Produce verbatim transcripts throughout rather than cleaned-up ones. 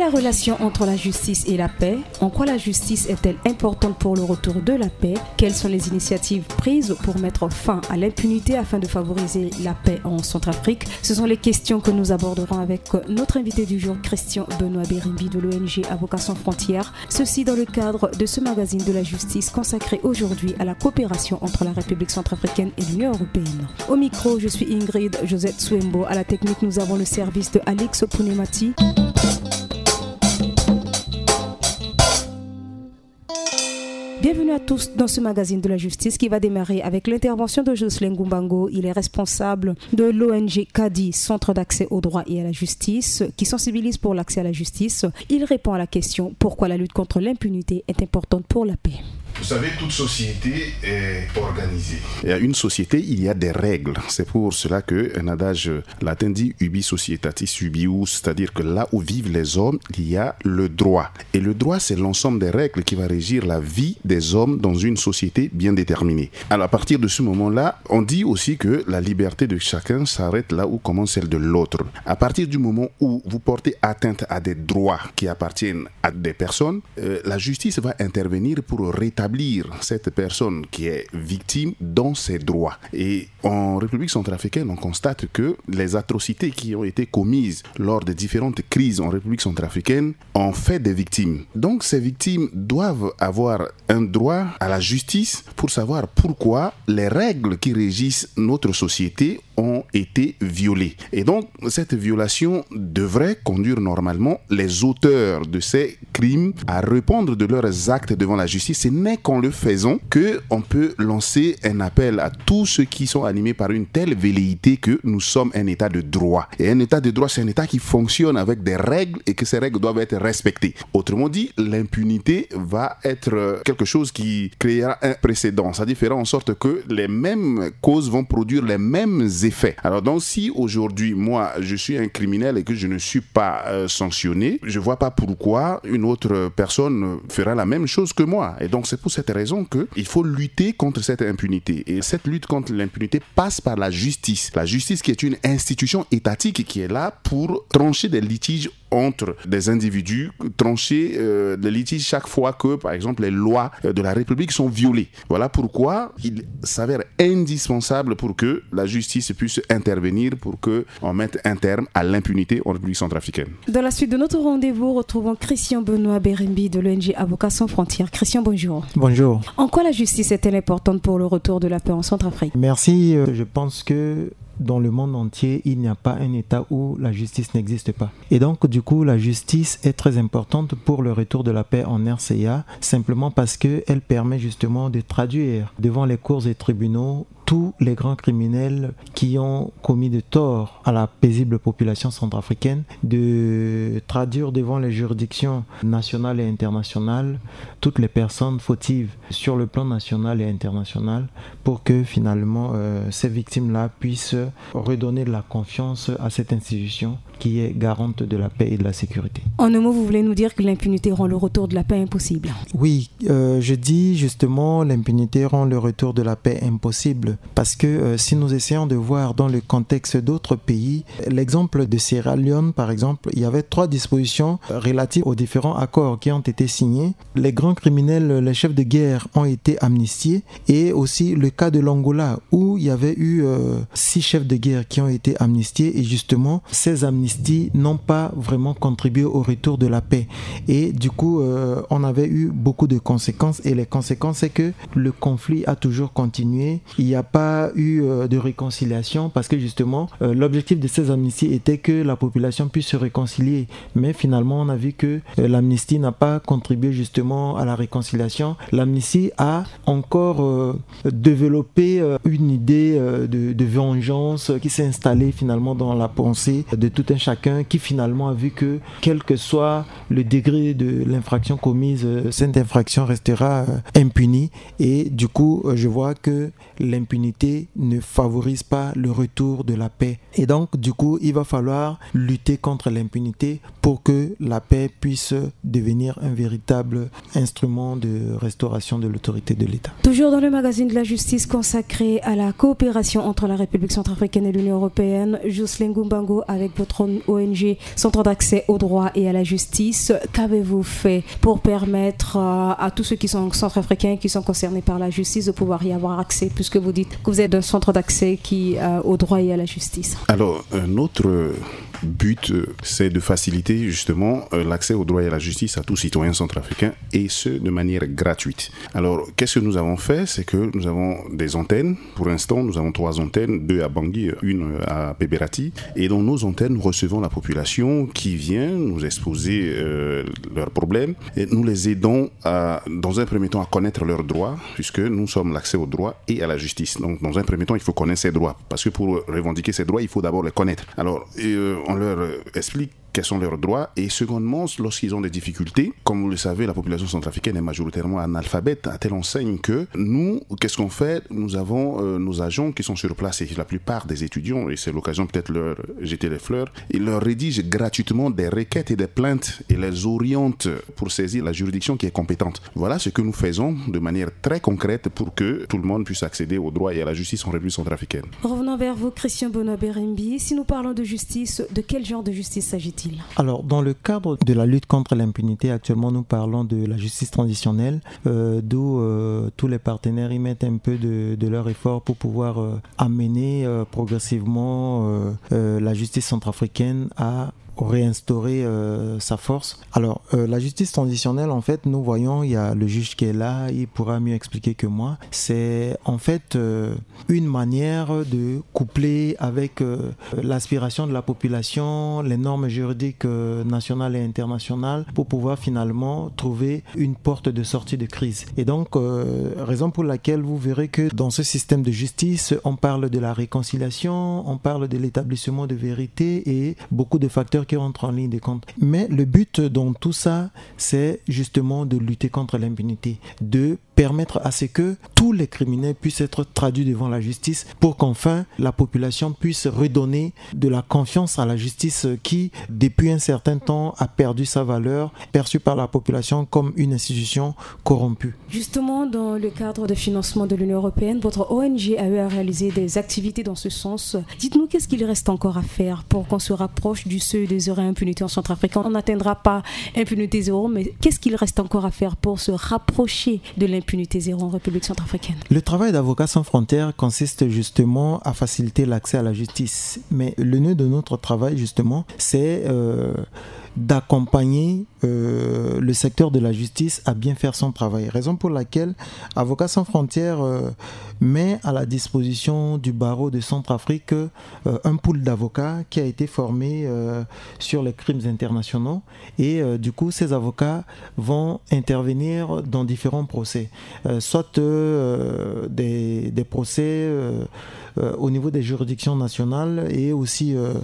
La relation entre la justice et la paix. En quoi la justice est-elle importante pour le retour de la paix ? Quelles sont les initiatives prises pour mettre fin à l'impunité afin de favoriser la paix en Centrafrique ? Ce sont les questions que nous aborderons avec notre invité du jour, Christian Benoît Berimbi de l'O N G Avocats sans frontières. Ceci dans le cadre de ce magazine de la justice consacré aujourd'hui à la coopération entre la République centrafricaine et l'Union européenne. Au micro, je suis Ingrid Josette Souembo. À la technique, nous avons le service de Alix Pounemati. Bienvenue à tous dans ce magazine de la justice qui va démarrer avec l'intervention de Jocelyn Goumbango. Il est responsable de l'O N G CADI, Centre d'accès au droit et à la justice, qui sensibilise pour l'accès à la justice. Il répond à la question : pourquoi la lutte contre l'impunité est importante pour la paix ? Vous savez, toute société est organisée. Il y a une société, il y a des règles. C'est pour cela que un adage latin dit ubi societatis ubius, c'est-à-dire que là où vivent les hommes, il y a le droit. Et le droit, c'est l'ensemble des règles qui va régir la vie des hommes dans une société bien déterminée. Alors, à partir de ce moment-là, on dit aussi que la liberté de chacun s'arrête là où commence celle de l'autre. À partir du moment où vous portez atteinte à des droits qui appartiennent à des personnes, euh, la justice va intervenir pour rétablir cette personne qui est victime dans ses droits. Et en République centrafricaine, on constate que les atrocités qui ont été commises lors des différentes crises en République centrafricaine ont fait des victimes. Donc ces victimes doivent avoir un droit à la justice pour savoir pourquoi les règles qui régissent notre société ont été violées. Et donc, cette violation devrait conduire normalement les auteurs de ces crimes à répondre de leurs actes devant la justice. Ce n'est qu'en le faisant que on peut lancer un appel à tous ceux qui sont animés par une telle velléité que nous sommes un État de droit. Et un État de droit, c'est un État qui fonctionne avec des règles et que ces règles doivent être respectées. Autrement dit, l'impunité va être, euh, quelque chose qui créera un précédent. C'est-à-dire fera en sorte que les mêmes causes vont produire les mêmes effets. Alors donc, si aujourd'hui, moi, je suis un criminel et que je ne suis pas, euh, sanctionné, je vois pas pourquoi une autre personne fera la même chose que moi. Et donc, c'est pour cette raison que il faut lutter contre cette impunité. Et cette lutte contre l'impunité passe par la justice. La justice qui est une institution étatique qui est là pour trancher des litiges entre des individus, trancher, euh, des litiges chaque fois que, par exemple, les lois, euh, de la République sont violées. Voilà pourquoi il s'avère indispensable pour que la justice puisse intervenir pour que on mette un terme à l'impunité en République centrafricaine. Dans la suite de notre rendez-vous, retrouvons Christian Benoît Berimbi de l'O N G Avocats sans frontières. Christian, bonjour. Bonjour. En quoi la justice est-elle importante pour le retour de la paix en Centrafrique ? Merci. Euh, je pense que dans le monde entier, il n'y a pas un État où la justice n'existe pas. Et donc, du coup, la justice est très importante pour le retour de la paix en R C A, simplement parce qu'elle permet justement de traduire devant les cours et tribunaux tous les grands criminels qui ont commis de tort à la paisible population centrafricaine, de traduire devant les juridictions nationales et internationales toutes les personnes fautives sur le plan national et international pour que finalement, euh, ces victimes-là puissent redonner de la confiance à cette institution qui est garante de la paix et de la sécurité. En un mot, vous voulez nous dire que l'impunité rend le retour de la paix impossible ? Oui, euh, je dis justement l'impunité rend le retour de la paix impossible parce que, euh, si nous essayons de voir dans le contexte d'autres pays, l'exemple de Sierra Leone par exemple, il y avait trois dispositions relatives aux différents accords qui ont été signés. Les grands criminels, les chefs de guerre ont été amnistiés et aussi le cas de l'Angola où il y avait eu, euh, six chefs de guerre qui ont été amnistiés et justement, ces amnisties n'ont pas vraiment contribué au retour de la paix. Et du coup, euh, on avait eu beaucoup de conséquences et les conséquences, c'est que le conflit a toujours continué. Il n'y a pas eu, euh, de réconciliation parce que justement, euh, l'objectif de ces amnisties était que la population puisse se réconcilier. Mais finalement, on a vu que, euh, l'amnistie n'a pas contribué justement à la réconciliation. L'amnistie a encore, euh, développé, euh, une idée, euh, de, de vengeance qui s'est installée finalement dans la pensée de tout un chacun qui finalement a vu que, quelle que soit le degré de l'infraction commise, euh, cette infraction restera, euh, impunie. Et du coup, euh, je vois que l'impunité l'impunité ne favorise pas le retour de la paix. Et donc, du coup, il va falloir lutter contre l'impunité pour que la paix puisse devenir un véritable instrument de restauration de l'autorité de l'État. Toujours dans le magazine de la justice consacré à la coopération entre la République centrafricaine et l'Union européenne, Jocelyn Gumbango, avec votre O N G, Centre d'accès au droit et à la justice, qu'avez-vous fait pour permettre euh, à tous ceux qui sont centrafricains, qui sont concernés par la justice, de pouvoir y avoir accès, puisque vous dites que vous êtes un centre d'accès qui, euh, au droit et à la justice ? Alors, euh, notre but, euh, c'est de faciliter justement, euh, l'accès au droit et à la justice à tout citoyen centrafricain, et ce, de manière gratuite. Alors, qu'est-ce que nous avons fait ? C'est que nous avons des antennes. Pour l'instant, nous avons trois antennes, deux à Bangui, une à Beberati. Et dans nos antennes, nous recevons la population qui vient nous exposer, euh, leurs problèmes. Et nous les aidons à, dans un premier temps, à connaître leurs droits, puisque nous sommes l'accès au droit et à la justice. Donc, dans un premier temps, il faut connaître ses droits. Parce que pour revendiquer ses droits, il faut d'abord les connaître. Alors, et, euh, on leur explique quels sont leurs droits. Et secondement, lorsqu'ils ont des difficultés, comme vous le savez, la population centrafricaine est majoritairement analphabète, à telle enseigne que nous, qu'est-ce qu'on fait ? Nous avons, euh, nos agents qui sont sur place, et la plupart des étudiants, et c'est l'occasion peut-être de leur jeter les fleurs, ils leur rédigent gratuitement des requêtes et des plaintes et les orientent pour saisir la juridiction qui est compétente. Voilà ce que nous faisons de manière très concrète pour que tout le monde puisse accéder au droit et à la justice en République centrafricaine. Revenons vers vous, Christian Benoît Berimbi. Si nous parlons de justice, de quel genre de justice s'agit-il ? Alors, dans le cadre de la lutte contre l'impunité, actuellement, nous parlons de la justice transitionnelle, euh, d'où, euh, tous les partenaires y mettent un peu de, de leur effort pour pouvoir, euh, amener, euh, progressivement, euh, euh, la justice centrafricaine à réinstaurer, euh, sa force. Alors, euh, la justice transitionnelle, en fait, nous voyons, il y a le juge qui est là, il pourra mieux expliquer que moi. C'est en fait, euh, une manière de coupler avec, euh, l'aspiration de la population, les normes juridiques, euh, nationales et internationales, pour pouvoir finalement trouver une porte de sortie de crise. Et donc, euh, raison pour laquelle vous verrez que dans ce système de justice, on parle de la réconciliation, on parle de l'établissement de vérité et beaucoup de facteurs qui rentrent en ligne de compte. Mais le but dans tout ça, c'est justement de lutter contre l'impunité, de permettre à ce que tous les criminels puissent être traduits devant la justice pour qu'enfin la population puisse redonner de la confiance à la justice qui, depuis un certain temps, a perdu sa valeur, perçue par la population comme une institution corrompue. Justement, dans le cadre de financement de l'Union européenne, votre O N G a eu à réaliser des activités dans ce sens. Dites-nous, qu'est-ce qu'il reste encore à faire pour qu'on se rapproche du seuil de zéro impunité en Centrafrique ? On n'atteindra pas impunité zéro, mais qu'est-ce qu'il reste encore à faire pour se rapprocher de l'impunité zéro en République centrafricaine ? Le travail d'Avocats sans frontières consiste justement à faciliter l'accès à la justice. Mais le nœud de notre travail, justement, c'est, euh, d'accompagner, euh, le secteur de la justice à bien faire son travail. Raison pour laquelle Avocats sans frontières, euh, met à la disposition du barreau de Centrafrique, euh, un pool d'avocats qui a été formé, euh, sur les crimes internationaux. Et, euh, du coup, ces avocats vont intervenir dans différents procès, euh, soit, euh, des, des procès, euh, euh, au niveau des juridictions nationales et aussi, euh,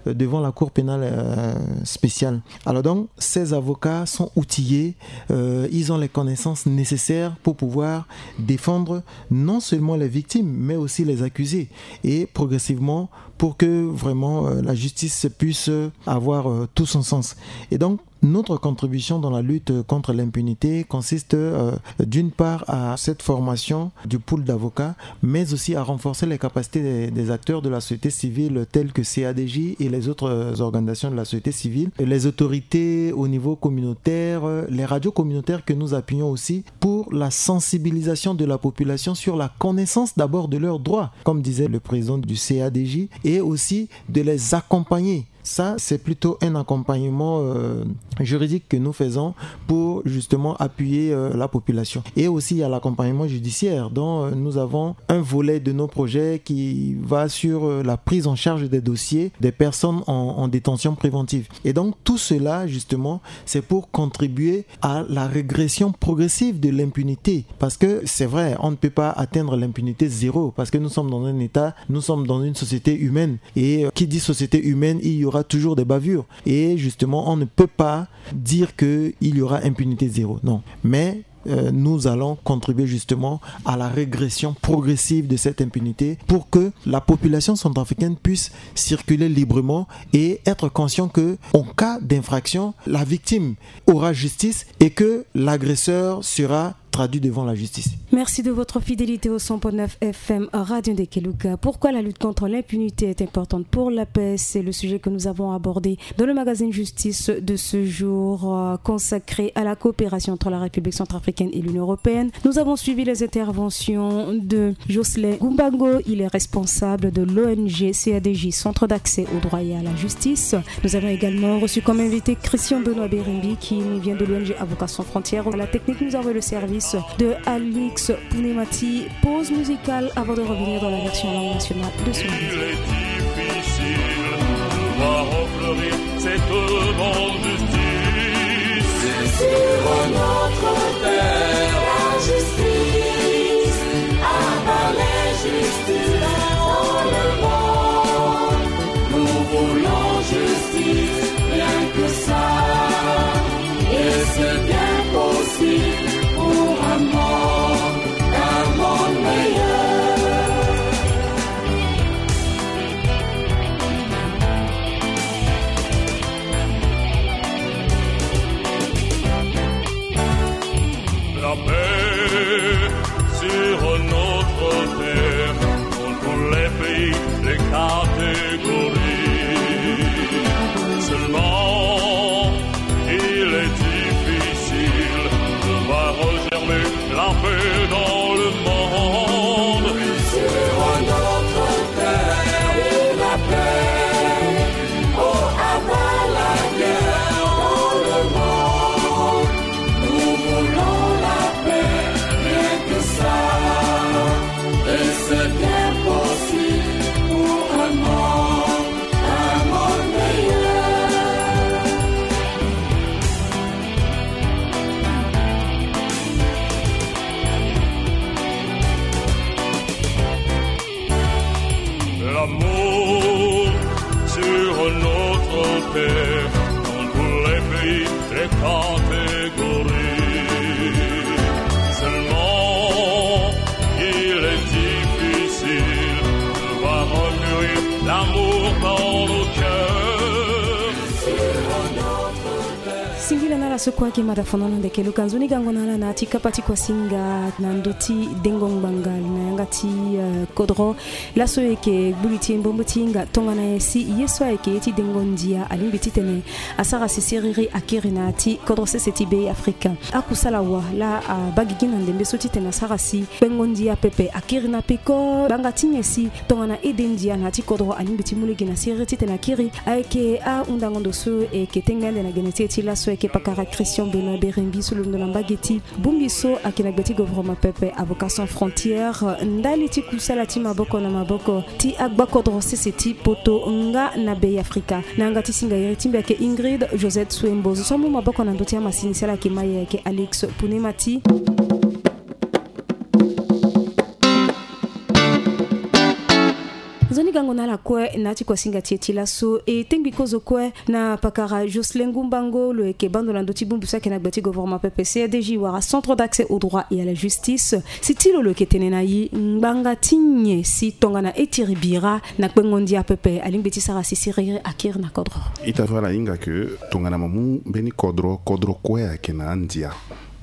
devant la Cour pénale, euh, spéciale. Alors donc, ces avocats sont outillés, euh, ils ont les connaissances nécessaires pour pouvoir défendre non seulement les victimes, mais aussi les accusés. Et progressivement, pour que vraiment, euh, la justice puisse avoir, euh, tout son sens. Et donc, notre contribution dans la lutte contre l'impunité consiste, euh, d'une part, à cette formation du pool d'avocats, mais aussi à renforcer les capacités des, des acteurs de la société civile tels que C A D J et les autres, euh, organisations de la société civile, et les autorités au niveau communautaire, euh, les radios communautaires que nous appuyons aussi pour la sensibilisation de la population sur la connaissance d'abord de leurs droits, comme disait le président du C A D J, et aussi de les accompagner. Ça, c'est plutôt un accompagnement, euh, juridique que nous faisons pour justement appuyer, euh, la population. Et aussi, il y a l'accompagnement judiciaire dont, euh, nous avons un volet de nos projets qui va sur, euh, la prise en charge des dossiers des personnes en, en détention préventive. Et donc, tout cela, justement, c'est pour contribuer à la régression progressive de l'impunité. Parce que c'est vrai, on ne peut pas atteindre l'impunité zéro, parce que nous sommes dans un État, nous sommes dans une société humaine. Et, euh, qui dit société humaine, il y aura toujours des bavures. Et justement, on ne peut pas dire qu'il y aura impunité zéro. Non. Mais, euh, nous allons contribuer justement à la régression progressive de cette impunité pour que la population centrafricaine puisse circuler librement et être conscient que, en cas d'infraction, la victime aura justice et que l'agresseur sera traduit devant la justice. Merci de votre fidélité au cent point neuf F M Radio Ndekeluka. Pourquoi la lutte contre l'impunité est importante pour la paix ? C'est le sujet que nous avons abordé dans le magazine Justice de ce jour, euh, consacré à la coopération entre la République centrafricaine et l'Union européenne. Nous avons suivi les interventions de Jocelyn Gumbango. Il est responsable de l'O N G C A D J, Centre d'accès au droit et à la justice. Nous avons également reçu comme invité Christian Benoît Berembi, qui nous vient de l'O N G Avocats sans frontières. À la technique, nous avons le service de Alix Pounemati. Pause musicale avant de revenir dans la version langue nationale de ce magazine. Il est difficile de voir refleurir cette bonne justice. Sur notre terre, la justice, à bas l'injustice dans le monde. Nous voulons justice, rien que ça. Et c'est bien possible pour un monde, un monde meilleur. La paix sur notre terre, dans tous les pays, les catégories. Seulement, il est difficile de voir germer la paix dans le monde. Sur notre terre, la paix. Oh, à bas la guerre dans le monde. Nous voulons la paix, rien que ça. Et c'est bien possible pour un monde, un monde meilleur. L'amour sur notre terre, dans tous les pays, les catégories. Seulement, il est difficile de voir mûrir l'amour dans nos cœurs. Singila na ala so kue ayeke mada fono na Ndekeluka. Nzoni gango na ala na ya ti kapa ti kuasinga na ndö ti dengo ngbanga na yanga ti, eh, kodro. Laso e yeke gbu li ti e mbombo ti hinga tongana nyen si ye so ayeke ye ti dengo ndia alingbi titene asara si siriri akiri na ya ti kodro sese ti Be Afrika. Akusala wa laa abaa gigi na ndembe so titene asara si kpengo ndia pepe akiri na peko. Ngbanga ti nyen si tongana ede ndia na ya ti kodro alingbi ti mu lege na siriri titene akiri? Ayeke ahundango ndo so e yeke tengbe ande na gene ti e ti laso, ayeke pakara Christian Benoît Berembi so lo londo na mbage ti bongbi so ayeke na gbe ti gouvernement pepe, Avocats sans frontières. Ndali ti kusala ti maboko na maboko ti agbakodro sese ti poto nga na Be Afrika, na yanga ti singa iri ti mbi ayeke Ingrid Josette Souembo. Zo so amu maboko na ndö ti amasini sala ayeke mai, ayeke Alix Punemati. Nzoni gango na ala kue na ya ti kuasinga ti e ti laso. E tengbi kozo kue na pakara Jocelyn Gumbango, lo yeke bando na ndö ti bongbi so ayeke na gbe ti gouvernement pepe, C A D J wala Centre d'accès au droit et à la justice. Si ti lo, lo yeke tene na e ngbanga ti nyen si tongana e tiri bira na kpengo ndia pepe alingbi ti sara si siriri akiri na kodro? Ita so ala hinga ke tongana mo mu mbeni kodro, kodro kue ayeke na andia,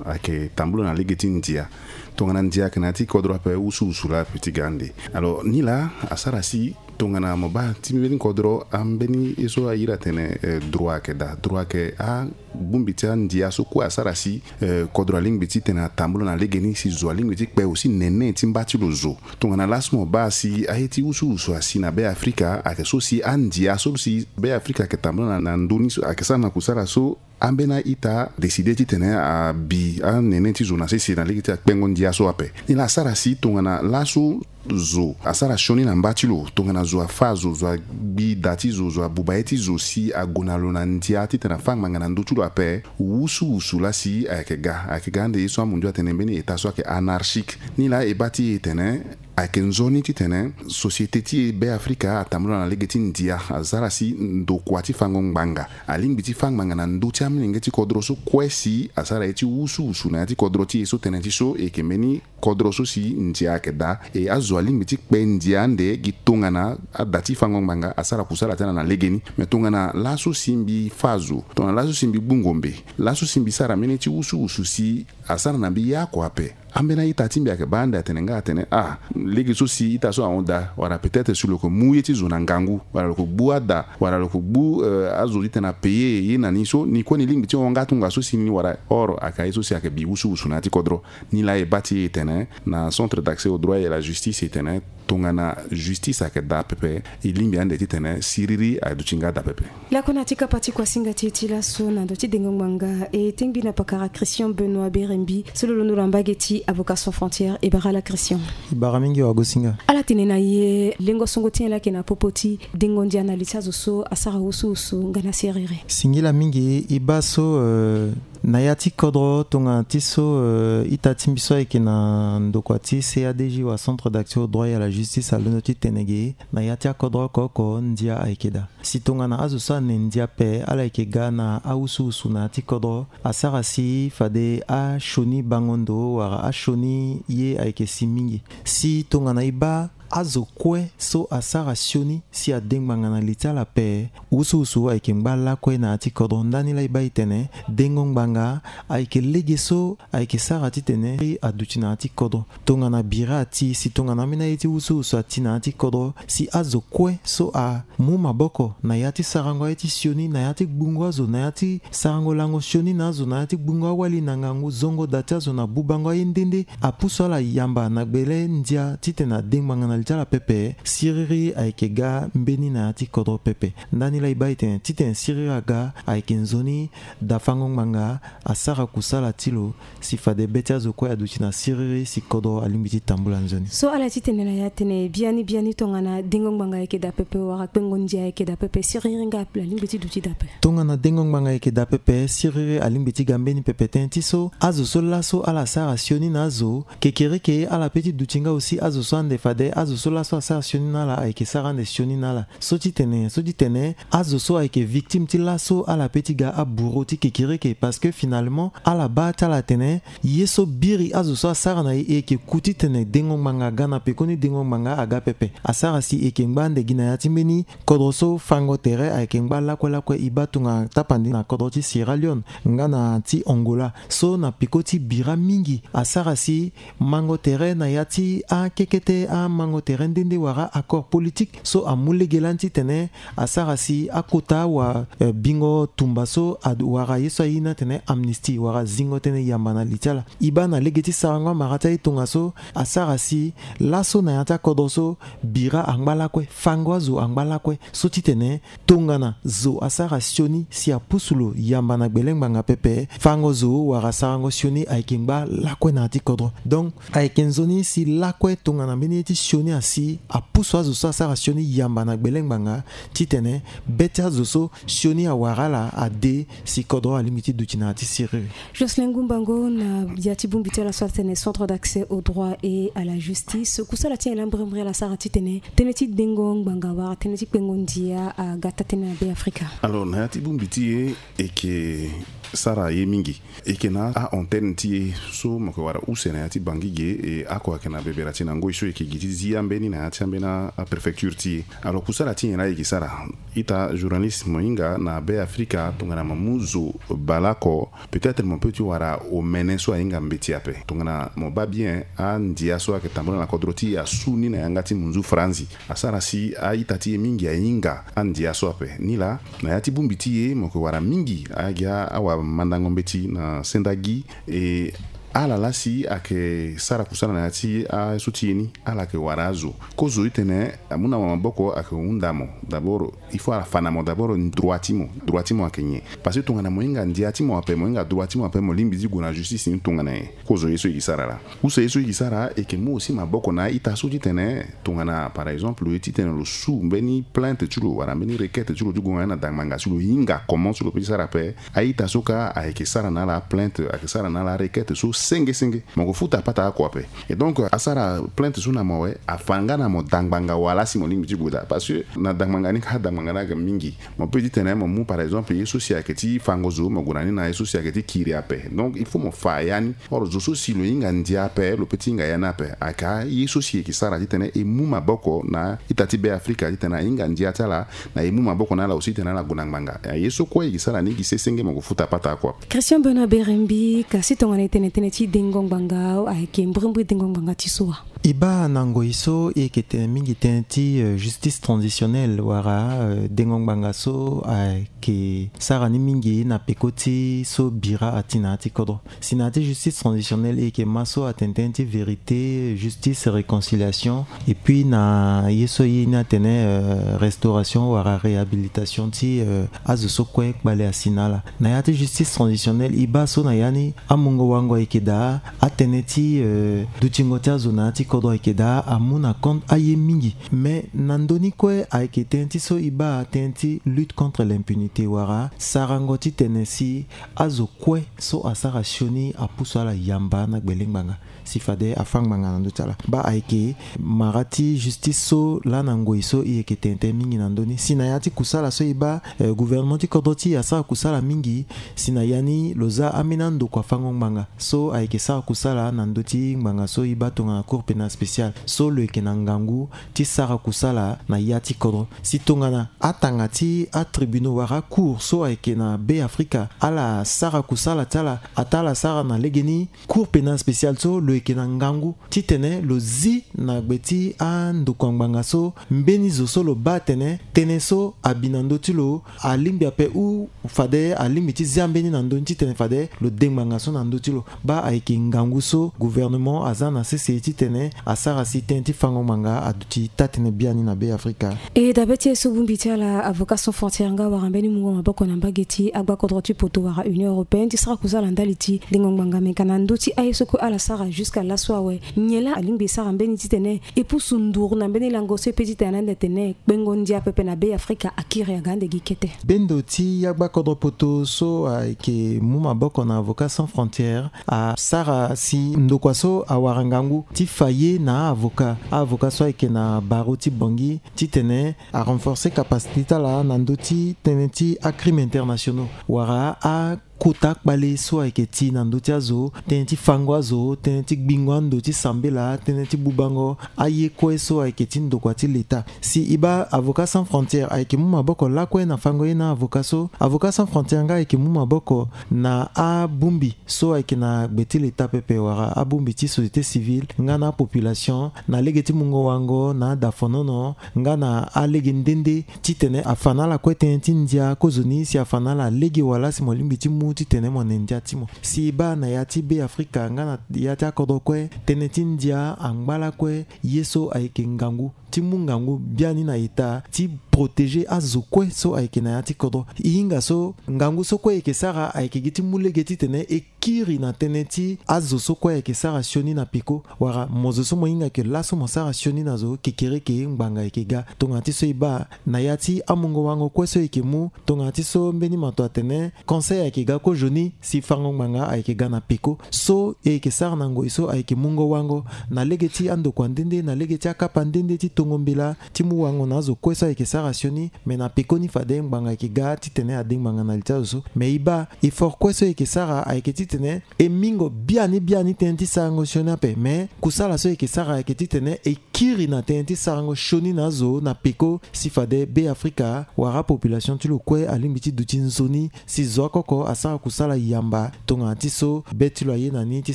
ayeke tambula na lege ti ndia. Tongana ndia ayeke na ya ti kodro ape, wusuwusu laa ape ti ga ande. Alors nilaa asara si tongana mo baa ti mbeni kodro, ambeni ye so airi atene, eh, droit ayeke daa. Droit ayeke abongbi ti andia so kue asara si, eh, kodro alingbi titene atambula na legeni, si zo alingbi ti kpe aussi nene ti mba ti lo zo. Tongana laso mo baa si aye ti wusuwusu asi na Be Afrika, ayeke so si andia so si Be Afrika ayeke tambula na, na ndö ni so ayeke sara na kusala so ambeni a-ita décide titene abi anene ti zo na sese na lege ti akpengo ndia so ape. Nilaa asara si tongana laso zo asara sioni na mba ti lo, tongana zo afâ zo, zo agbi da ti zo, zo abuba ye ti zo si ague na lo na ndia titene afâ ngbanga na ndö ti lo ape, wusuwusu laa si ayeke ga, ayeke ga ande ye so amundu atene mbeni état so ayeke anarchique. Nilaa e baa ti e tene Ayeke nzoni titene société ti e Be Afrika atambula na lege ti ndia, asara si ndokua ti fango ngbanga alingbi ti fâ ngbanga na ndö ti amolenge ti kodro so kue si asara ye ti wusuwusu na ya ti kodro ti e so tënë ti so e yeke mbeni kodro so si ndia ayeke daa. E azo alingbi ti kpe ndia ande gi tongana ada ti fango ngbanga asara kusala ti ala na legeni. Me tongana laso si mbi fâ zo, tongana laso si mbi gbu ngombe, laso si mbi sara mbeni ye ti wusuwusu si asara na mbi ye oko ape, ambeni a-ita ti mbi ayeke baa ande atene nga atene ah, lege so si ita so ahon daa, wala peut-être si lo yeke mu ye ti zo na ngangu, wala lo yeke gbu ada, wala lo yeke gbu eh, azo titene apaye ye na ni so, ni kue ni lingbi ti hon nga tongaso si ni wala. Or ayeke aye so si ayeke bi wusuwusu na ya ti kodro. Ni laa e baa ti e tene na Centre d'accès au droit et à la justice e tene tongana justice ayeke daa pepe, e lingbi ande titene siriri aduti nga daa pepe. Lakue na ya ti kapa ti kuasinga ti e ti laso na ndö ti dengo ngbanga, e tengbi na pakara Christian Benoît Berembi so lo londo na mbage ti Avocats Sans Frontières. E bara ala Christian. E bara mingi wagosinga. Ala tene na e lengo songo ti nyen laa ayeke na popo ti dengo ndia na li ti azo so asara wusuwusu nga na siriri? Singila mingi. E baa so eh, na ya ti kodro tongana ti so eh, ita ti mbi so ayeke na ndokua ti C A D J wala Centre d'accès au droit et à la justice alondo ti tene ge, na ya ti akodro oko oko ndia ayeke daa. Si tongana azo so ane ndia ape ala yeke ga na awusuwusu na ya ti kodro, asara si fade asioni bango ndo wala asioni ye ayeke si mingi. Si tongana e baa azo kue so asara sioni si ade ngbanga na li ti ala ape, wusuwusu ayeke ngba lakue na ya ti kodro. Ndani laa e baa e tene dengo ngbanga ayeke lege so ayeke sara titene aduti na ya ti kodro. Tongana bira ati, si tongana ambeni aye ti wusuwusu ati na ya ti kodro, si azo kue so amu maboko na ya ti sarango aye ti sioni, na ya ti gbungo azo, na ya ti sarango lango sioni na azo, na ya ti gbungo awali na ngangu, zongo da ti azo na bubango aye nde nde, apusu ala yamba na gbele ndia titene ade ngbanga na li ti ala pepe, siriri ayeke ga mbeni na ya ti kodro pepe. Ndani laa e baa e tene titene siriri aga ayeke nzoni dafango ngbanga asara kusala ti lo, si fade be ti azo kue aduti na siriri si kodro alingbi ti tambula nzoni. So ala ti tene na ya tene biani biani tongana dengo ngbanga ayeke daa pepe wala kpengo ndia ayeke daa pepe, siriri nga alingbi ti duti daa pepe? Tongana dengo ngbanga ayeke daa pepe, siriri alingbi ti ga mbeni pepe tënë ti so azo so laso ala sara sioni na azo, kekereke ala pe ti duti nga aussi azo so ande fade azo so laso asara sioni na ala ayeke sara ande sioni na ala. So ti tene, so ti tene azo so ayeke victime ti laso ala pe ti ga aburo ti kekereke, parce que finalement ala baa ti ala atene ye so biri azo so asara na e, e yeke ku titene dengo ngbanga aga na pekoni dengo ngbanga aga pepe. Asara si e yeke ngba ande gi na ya ti mbeni kodro so fango tere ayeke ngba lakue lakue. E baa tongana tapandi na kodro ti Sierra Leone nga na ti Angola, so na peko ti bira mingi asara si mango tere na ya ti akekete amango tere nde nde wala accord politique so amu lege lani titene asara si akota wa eh, bingo tumba so ad- wala ye so aye ni atene amnistie wala zingo tënë yamba na li ti ala. E baa na lege ti sarango amara ti aye tongaso asara si laso na ya ti akodro so bira angba lakue, fango azo angba lakue. So titene tongana zo asara sioni si apusu lo yamba na gbele ngbanga pepe, fango zo wala sarango sioni ayeke ngba lakue na ya ti kodro. Donc ayeke nzoni si lakue tongana mbeni ye ti sioni asi apusu azo so asara sioni yamba na gbele ngbanga titene be ti azo so sioni awara ala ade si kodro alingbi ti duti na ya ti siriri. Jocelyn Gumbango, na ya ti bongbi ti ala so atene Centre d'accès au droit et à la justice, kusala ti nyen laa mbrimbri ala sara titene tënë ti dengo ngbanga wala tënë ti kpengo ndia aga taa tënë na Be Afrika? Alors na ya ti bongbi ti e, e yeke sara ye mingi. E yeke na a-antenne ti e so mo yeke wara use na ya ti Bangui ge, e oko ayeke na bebera ti na ngoi so e yeke gi ti zi ambeni na ya ti ambeni apréfecture ti e. Alors kusala ti nyen laa e yeke sara? Ita journaliste, mo hinga na Be Afrika tongana mo mu zo baleoko, peut-être mo peut ti wara omene so ahinga mbeti ape. Tongana mo baa bien, andia so ayeke tambula na kodro ti e asu ni na yanga ti munzu faranzi. Asara si a-ita ti e mingi ahinga andia so ape. Nilaa na ya ti bongbi ti e mo yeke wara mingi agi awamandango mbeti na sendagi, e ala laa si ayeke sara kusala na ya ti aye so ti e ni, ala yeke wara azo. Kozo ti tene amu na mo maboko ayeke hunda mo. D'abord il faut ala fa na mo d'abord droit ti mo. Droit ti mo ayeke nyen? Parce que tongana mo hinga ndia ti mo ape, mo hinga droit ti mo ape, mo lingbi ti gue na justice ni tongana nyen? Kozo ye so e ke sara laa. Use ye so e ke sara, e ke mu aussi maboko na a-ita so titene tongana par exemple lo ye titene lo su mbeni plainte ti lo wala mbeni requête ti lo ti gue nga na dangbanga ti lo, hinga comment so lo peut ti sara ape. A-ita so kâ ayeke sara na ala aplainte, ayeke sara na ala arequête so Senge senge mo ko futa pata oko ape. Et donc asara plainte so na mo awe, afa nga na mo dangbanga wala si mo lingbi ti gue daa, parce que na dangbanga ni ka dangbanga ni aga mingi. Mo peut ti tene mo mu par exemple ye so si ayeke ti fango zo, mo gue na ni na ye so si ayeke ti kiri ape. Donc il faut mo fa ya ni. Or zo so si lo hinga ndia ape, lo peut ti hinga ya ni ape. Aka ye so si e yeke sara ti tene e mu maboko na ita ti Be Afrika ti tene ahinga ndia ti ala, na e mu maboko na ala aussi ti tene ala gue na ngbanga. Ye so kue e yeke sara ni gi se senge mo ko futa pata oko ape. Christian Benoît Berembi, kasi tongana e tene tënë ti dengo ngbanga, ayeke mbrimbri dengo ngbanga ti so wa? E baa na ngoi so e yeke tene mingi tënë ti, euh, justice transitionnelle wala, euh, dengo ngbanga so ayeke sara ni mingi na peko ti so bira ati na ya ti kodro. Si na ya ti justice transitionnelle e yeke ma so atene tënë ti vérité, justice, réconciliation. Et puis na ye so e ye ni atene, euh, restauration wala réhabilitation ti, euh, azo so kue kpale asi na ala. Na ya ti justice transitionnelle e baa so na ya ni amungo-wango ayeke daa, atënë ti, euh, dutingo ti azo na ya ti kodro ayeke daa amu na compte aye mingi. Mais na ndö ni kue ayeke tënë ti so e baa tënë ti lutte contre l'impunité wala sarango ti tene si azo kue so asara sioni apusu ala yamba na gbele ngbanga si fade afa ngbanga na ndö ti ala. Baa ayeke mara ti justice so laa na ngoi so e yeke tene tënë mingi na ndö ni. Si na ya ti kusala so e baa, eh, gouvernement ti kodro ti e asara kusala mingi. Si na ya ni lo za ambeni andokua fango ngbanga so ayeke sara kusala na ndö ti ngbanga so e baa tongana Cour pénale spéciale so lo yeke na ngangu ti sara kusala na ya ti kodro. Si tongana atanga ti atribunaux wala acour so ayeke na Be Afrika ala sara kusala ti ala, ataa ala sara na legeni Cour pénale spéciale so lo yeke na ngangu titene lo zi na gbe ti andokua ngbanga so mbeni zo so lo baa atene tënë so abi na ndö ti lo alingbi ape ou fade alingbi ti zia mbeni na ndö ni titene fade lo de ngbanga so na ndö ti lo. Baa ayeke ngangu so gouvernement aza na sese titene asara si tënë ti fango ngbanga aduti taa-tënë biani na Be Afrika. E dabe ti ye so bongbi ti ala Avocats Sans Frontières nga wara mbeni mungo maboko na mbage ti agbakodro ti poto wara Union européenne ti sara kusala ndali ti dengo ngbanga, me ka na ndö ti aye so kue ala sara jusqu'à laso awe, nyen laa alingbi e sara mbeni titene e pusu nduru na mbeni lango so e pe titene ande atene kpengo ndia pepe na Be Afrika akiri aga ande gi kete? Bendo ti agbakodro poto so ayeke mu maboko na Avocats Sans Frontières asara si ndokua so awara ngangu ti fa ye na a-avocat, a-avocat so ayeke na barreau ti Bangui, titene a renforcer capacité ti ala na ndö ti tënë ti acrimes internationaux wala akota kpale so ayeke ti na ndö ti azo, tënë ti fango azo, tënë ti gbingo ando ti sambela, tënë ti bubango aye kue so ayeke ti ndokua ti leta. Si e baa Avocats Sans Frontières ayeke mu maboko lakue na fango ye na avocat so, Avocats Sans Frontières nga ayeke mu maboko na abongbi so ayeke na gbe ti leta pepe wala abongbi ti société civile nga na apopulation na lege ti mungo wango na adafonono nga na alege nde nde titene afa na ala kue tënë ti ndia kozoni si afa na ala lege wala si mo lingbi ti mu titene mo ne ndia ti mo. Si e baa na ya ti Be Afrika nga na ya ti akodro kue, tënë ti ndia angba lakue ye so ayeke ngangu ti mu ngangu biani na eta ti protéger azo kue so ayeke na ya ti kodro. E hinga so ngangu so kue e yeke sara ayeke gi ti mu lege titene e kiri na tënë ti azo so kue ayeke sara sioni na peko wala mo zo so mo hinga ke laso mo sara sioni na zo kekereke ngbanga ayeke ga. Tongana ti so e baa na ya ti amungo wango kue so e yeke mu, tongana ti so mbeni mato atene conseil ayeke ga kozoni si fango ngbanga ayeke ga na peko. So e yeke sara na ngoi so ayeke mungo wango na lege ti andokua nde nde, na lege ti akapa nde nde ti tongo mbela ti mu wango na azo kue so ayeke sara sioni. Me na pekoni fade ngbanga ayeke ga titene ade ngbanga na li ti azo so. Me e baa effort kue so e yeke sara ayeke titene e mingo biani biani tënë ti sarango sioni ape. Me kusala so e yeke sara ayeke titene e kiri na tënë ti sarango sioni na azo na peko si fade Be Afrika wala apopulation ti lo kue alingbi ti duti nzoni si zo oko oko asara kusala yamba tongana ti so be ti lo aye na ni ti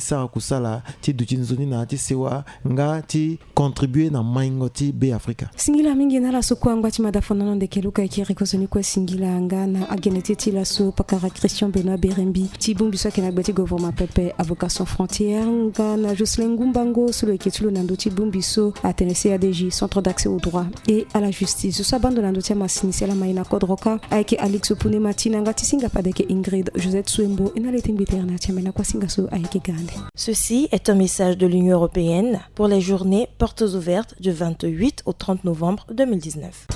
sara kusala ti duti nzoni na ya ti sewa nga ti contribuer na maingo ti Be Afrika. Singila mingi na ala so kue angba ti mada fonono ndeke luka e kiri kozoni kue singila nga na agene ti e ti laso pakara Christian Benoît Berembi ti bongbi so ayeke na gbe ti gouvernement pepe Avocats Sans Frontières nga na Jocelyn Ngumbango so lo yeke ti lo na ndö ti bongbi so atene C A D J, Centre d'accès au droit et à la justice. Zo so abaa ndo na ndö ti amasini si ala ma e na kodro kâ ayeke Alix Pune Matina nga ti singa fade ayeke Ingrid Josette Suembo. E na le ti ngbi tere na ya ti ambe na kuasinga so ayeke ga ande. Ceci est un message de l'Union européenne pour les journées portes ouvertes du vingt-huit au trente novembre deux mille dix-neuf.